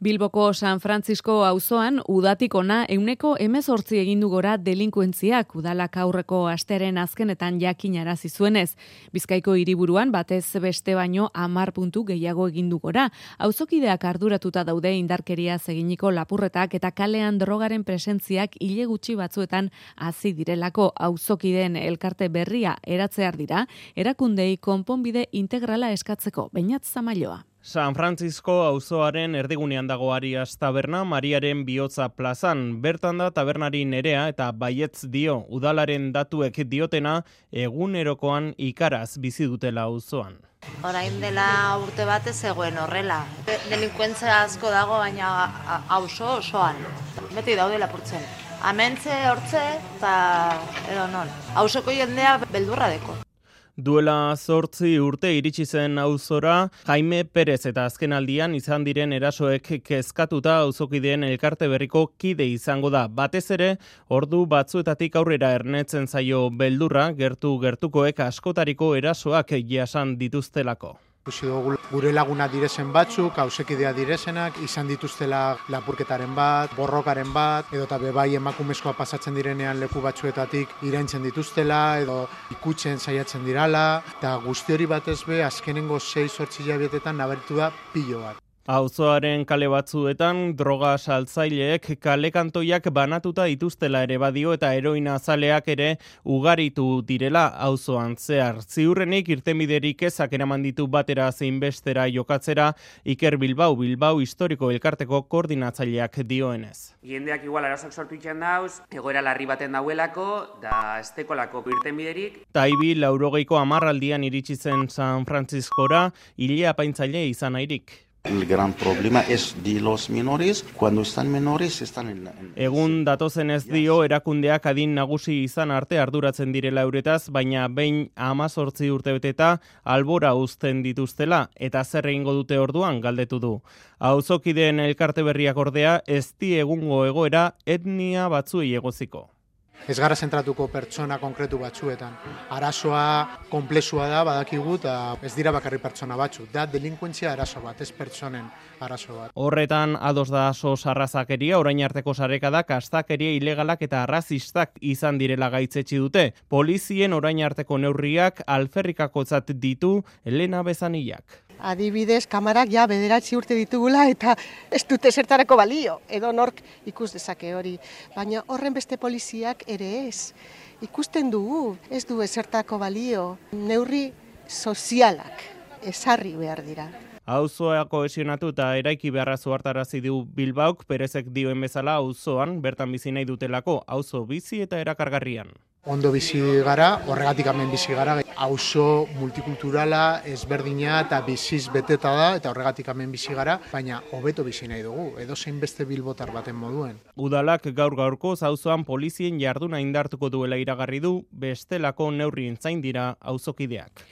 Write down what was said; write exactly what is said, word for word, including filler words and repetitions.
Bilboko San Francisco auzoan udatik ona ehuneko hemezortzi egin du gora delinkuentziak udalak aurreko asteren azkenetan jakinarazi zuenez. Bizkaiko hiriburuan batez beste baino hamar puntu gehiago egin du gora. Auzokideak arduratuta daude indarkeriaz eginiko lapurretak eta kalean drogaren presentziak hile gutxi batzuetan hazi direlako. Auzokideen elkarte berria eratzear dira, erakundei konponbide integrala eskatzeko. Beñat Zamailoa. San Francisco auzoaren erdigunean dago Arias taberna, Mariaren bihotza plazan. Bertan da tabernari Nerea eta baietz dio, udalaren datuek diotena egunerokoan ikaraz bizi dutela auzoan. Orain dela urte batez zegoen horrela. Delinkuentzia asko dago, baina auzo osoan. Beti daude lapurtzen. Amentze, hortze eta edo non. Auzoko jendea beldurra deko. Duela zortzi urte iritsi zen auzora, Jaime Perez eta azkenaldian izan diren erasoek kezkatuta auzokideen elkarte berriko kide izango da. Batez ere, ordu batzuetatik aurrera ernetzen zaio beldurra, gertu gertukoek askotariko erasoak jasan dituztelako. Gure laguna direzen batzuk, ausekidea direzenak, izan dituztela lapurketaren bat, borrokaren bat, edo eta bebai emakumezkoa pasatzen direnean leku batzuetatik iraintzen dituztela, edo ikutzen saiatzen dirala, eta guzti hori batez be, azkenengo sei zortzi hilabetetan nabaritu da pilo bat. Auzoaren kale batzuetan droga saltzaileek kalekantoiak banatuta dituztela ere badio eta heroina zaleak ere ugaritu direla auzoan zehar. Ziurrenik irtenbiderik ezak eraman ditu batera zein bestera jokatzera Iker Bilbao, Bilbao historiko elkarteko koordinatzaileak dioenez. Jendeak igual arazoak sortu itxan dauz, egoera larri baten dauelako, da estekolako irtenbiderik. Taibi laurogeiko hamarraldian iritsi zen San Franciscora, hile apaintzaile izan airik. El gran problema es de los menores, cuando están menores están en... en... Egun datozen ez dio erakundeak adin nagusi izan arte arduratzen direla euretaz, baina behin hamazortzi urte beteta albora uzten dituztela, eta zer egingo dute orduan galdetu du. Auzokideen elkarte berriak ordea ez di egungo egoera etnia batzuei egoziko. Ez gara zentratuko pertsona konkretu batzuetan. Arazoa konplexua da, badakigu, eta ez dira bakarri pertsona batzuk. Da delinkuentzia arazo bat, ez pertsonen arazo bat. Horretan ados da sos arrazakeria, orain arteko sarekadak, astakeria ilegalak eta arrazistak izan direla gaitzetsi dute. Polizien orain arteko neurriak alferrikakotzat ditu Elena Bezanillak. Adibidez, kamarak ja bederatzi urte ditugula eta ez dute zertarako balio, edo nork ikus dezake hori. Baina horren beste poliziak ere ez. Ikusten dugu, ez du ezertako balio, neurri sozialak ezarri behar dira. Auzoa kohesionatu eta eraiki beharra zuhartarazi du Bilbaok, Perezek dioen bezala auzoan bertan bizi nahi dutelako, auzo bizi eta erakargarrian. Ondo bizi gara, horregatik hemen bizi gara, auzo multikulturala, ezberdina eta biziz beteta da, eta horregatik hemen bizi gara, baina hobeto bizi nahi dugu, edozein beste bilbotar baten moduen. Udalak gaur gaurkoz auzoan polizien jarduna indartuko duela iragarri du, bestelako neurrien zain dira auzokideak.